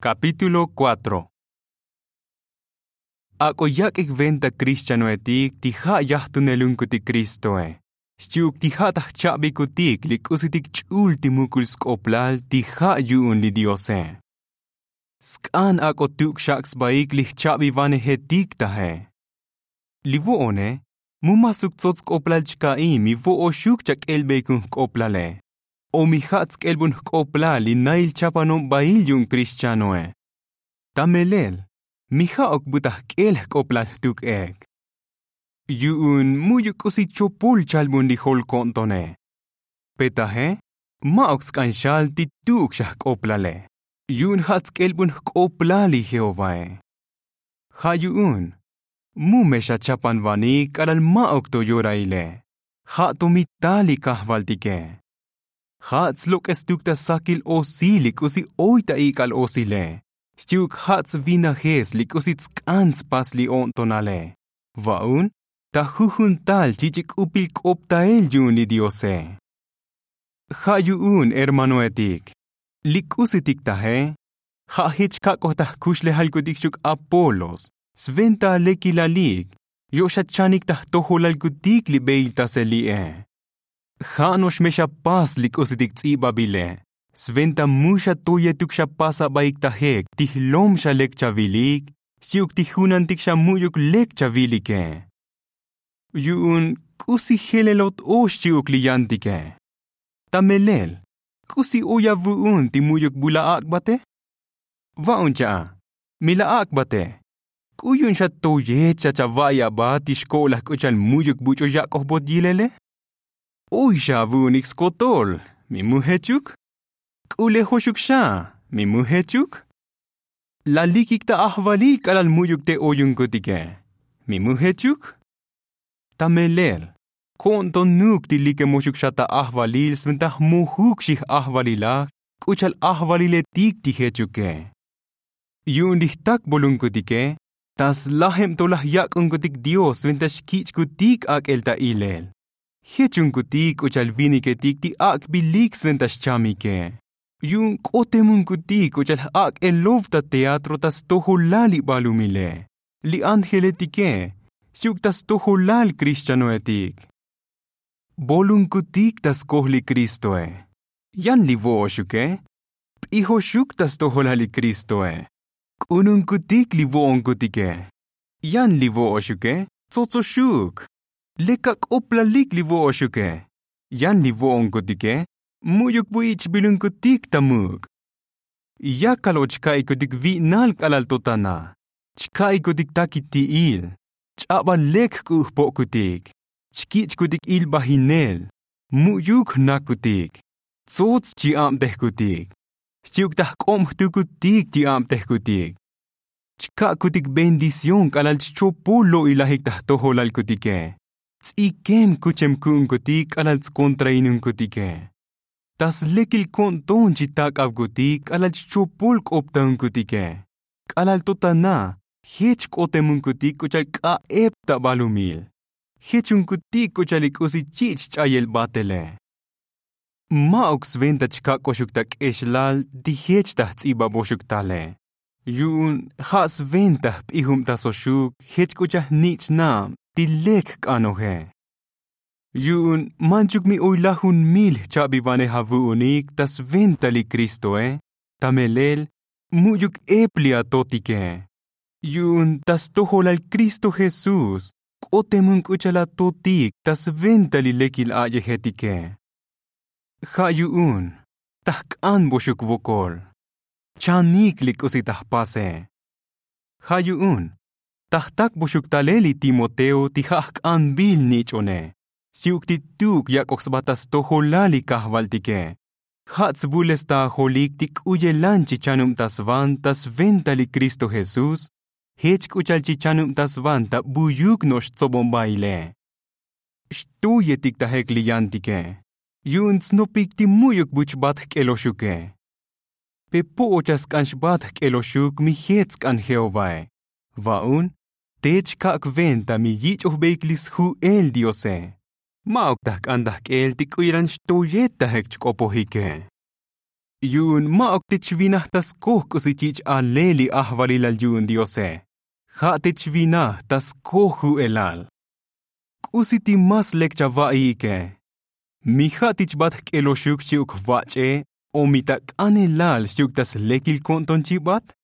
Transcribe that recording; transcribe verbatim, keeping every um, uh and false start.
Kapítulo kuatro. Ak'o yak'ik venta krixchanoetik ti ja' yajtunelunkutik kristoe, xchi'uk ti ja' ta jcha'bikutik li k'usitik ch'ul ti mukul sk'oplal ti ja' yu'un li diose. Sk'an ak'o tuk' xak' sbaik li jcha'bivanejetik taje. Li vo'one, mu ma suk tsots sk'oplal chka'i mi vo'oxuk chak'elbeikun jk'oplale, o mi ja' tsk'elbun jk'oplal li nail chapanon bail yu'un krixchanoe. Ta melel, mi ja'ok bu ta jk'el jk'oplal jtuk ek, yu'un mu'yuk k'usi chopol chalbun li jol ko'ntone. Pe taje, ma'uk sk'an xal ti tuk' xa jk'oplale, yu'un ja' tsk'elbun jk'oplal li jehovae. Ja' yu'un, mu me xachapanvanik k'alal ma'uk to yoraile, ja' to mi tal li kajvaltike. Ja' tslok'estuk ta sakil osil li k'usi oy ta ik'al osile, xchi'uk ja' tsvinajes li k'usi tsk'an tspas li o'ntonale, va'un ta jujun tal chich'ik k'upil k'optael yu'un li diose. Ja' yu'un hermanoetik, li k'usitik taje, ja' jech kak'oj ta jkuxlejalkutik xchi'uk apolos, sventa lekilalik yo' xachanik ta jtojolalkutik li beiltasel li'e. Ja' no'ox me xapas li k'usitik ts'ibabile, sventa mu xatoyetuk xapas abaik ta jek ti jlom xa lek chavilik, xchi'uk ti junantik xa mu'yuk lek chavilike. Yu'un k'usi jelelot o xchi'uk li yantike. Ta melel, k'usi oy avu'un ti mu'yuk bu la ak'bate? Va'un cha'a, mi la ak'bate, k'u yu'un xa toyet xa chava'i abat ti xko'laj k'u cha'al mu'yuk buch'u yak'ojbot yilele? Oy xa avu'unik skotol, mi mu jechuk? K'ulejoxuk xa, mi mu jechuk? La likik ta ajvalil k'alal mu'yuk te oyunkutike, mi mu jechuk? Ta melel, ko'ntonuk ti likemoxuk xa ta ajvalil sventa jmojuk xijajvalilaj k'u cha'al ajvaliletik ti jechuke. Yu'un li jtakbolunkutike, ta slajeb to laj yak'unkutik dios sventa xkich'kutik ak'el ta ilel, jechunkutik k'u cha'al viniketik ti ak'bilik sventa xchamike. Yu'un k'otemunkutik k'u cha'al j'ak'elov ta teatro ta stojolal li balumile, li angeletike, xchi'uk ta stojolal krixchanoetik. Bolunkutik ta skoj li kristoe, yan li vo'oxuke, p'ijoxuk ta stojolal li kristoe. K'ununkutik li vo'onkutike, yan li vo'oxuke, tsotsoxuk. Lek ak'oplalik li vo'oxuke, yan li vo'onkutike, mu'yuk bu ich'bilunkutik ta muk'. Yakal o chka'ikutik vi'nal k'alal to tana, chka'ikutik takiti'il, ch'abal lek jk'u' jpo'kutik, chkich'kutik ilbajinel, mu'yuk jnakutik, tsots chi'abtejkutik, xchi'uk ta jk'ob jtukutik chi'abtejkutik, chka'kutik bendición k'alal chchopol lo'ilajik ta jtojolalkutike, ts'ikem kuchemku'unkutik k'alal tskontrainunkutike, ta slekil ko'nton chitak'avkutik k'alal chchopol k'optaunkutike, k'alal to tana jech k'otemunkutik k'u cha'al k'a'eb ta balumil, jechunkutik k'u cha'al li k'usi chich' ch'ayel batele. Ma'uk sventa chkak'oxuk ta k'exlal ti jech ta jts'ibaboxuk tale, yu'un ja' sventa jp'ijubtasoxuk jech k'u cha'al jnich'nab ti lek jk'anoje. Yu'un manchuk mi oy lajunmil jcha'bivanej avu'unik ta sventa li kristoe, ta melel mu'yuk ep li atotike, yu'un ta stojolal kristo jesús k'otemun k'u cha'al atotik ta sventa li lekil a'yejetike. Ja' yu'un ta jk'anboxuk vokol, chanik li k'usi ta jpase. Ja' yu'un ta jtakboxuk talel li timoteo ti ja' jk'anbil nich'one, xchi'uk ti tuk' yak'oj sba ta stojolal li kajvaltike, ja' tsvulestajolik ti k'uyelan chichanubtasvan ta sventa li kristo jesús, jech k'u cha'al chichanubtasvan ta buyuk no'ox tsobon baile. Xtoyetik ta jek li yantike, yu'un tsnopik ti mu'yuk bu chbat jk'eloxuke. Pe po'ocha sk'an xbat jk'eloxuk mi jech sk'an jehovae, va'un te chkak' venta mi yich'ojbeik li sju'el diose, ma'uk ta jk'an ta jk'el ti k'u yalan xtoyet ta jek chk'opojike. Yu'un ma'uk te chvinaj ta skoj k'usi chich' alel li ajvalilal yu'un diose. Ja' te chvinaj ta skoj ju'elal. K'usi ti más lek chava'iike? Mi ja' ti chbat jk'eloxuk xchi'uk jvach'e? O mi ta k'anelal xchi'uk ta slekil ko'nton chibat?